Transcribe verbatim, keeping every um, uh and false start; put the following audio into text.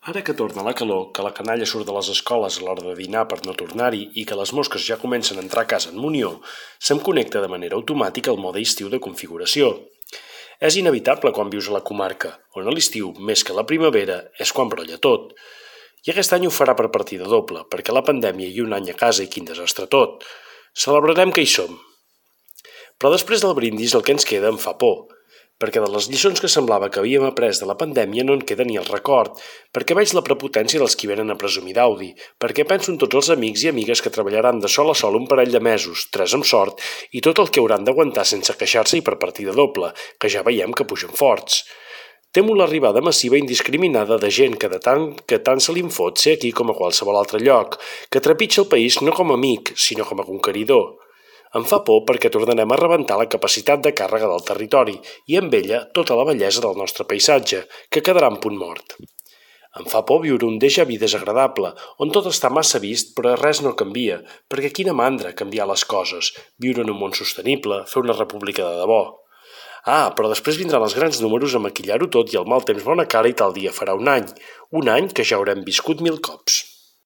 Ara que torna la calor, que la canalla surt de les escoles a l'hora de dinar per no tornar-hi i que les mosques ja comencen a entrar a casa en munió, se'm connecta de manera automàtica el mode estiu de configuració. És inevitable quan vius a la comarca, on a l'estiu, més que a la primavera, és quan brolla tot. I aquest any ho farà per partida doble, perquè la pandèmia i un any a casa i quin desastre tot. Celebrarem que hi som. Però després del brindis el que ens queda em fa por, perquè de les lliçons que semblava que havíem après de la pandèmia no en queda ni el record, perquè veig la prepotència dels qui venen a presumir d'Audi, perquè penso en tots els amics i amigues que treballaran de sol a sol un parell de mesos, tres amb sort, i tot el que hauran d'aguantar sense queixar-se i per partida doble, que ja veiem que pugen forts. Temo l'arribada massiva indiscriminada de gent que de tant que tant se li en fot ser aquí com a qualsevol altre lloc, que trepitja el país no com a amic, sinó com a conqueridor. Em fa por perquè tornarem a rebentar la capacitat de càrrega del territori i amb ella tota la bellesa del nostre paisatge, que quedarà en punt mort. Em fa por viure un déjà vu desagradable, on tot està massa vist però res no canvia, perquè quina mandra canviar les coses, viure en un món sostenible, fer una república de debò. Ah, però després vindran els grans números a maquillar-ho tot i el mal temps bona cara i tal dia farà un any, un any que ja haurem viscut mil cops.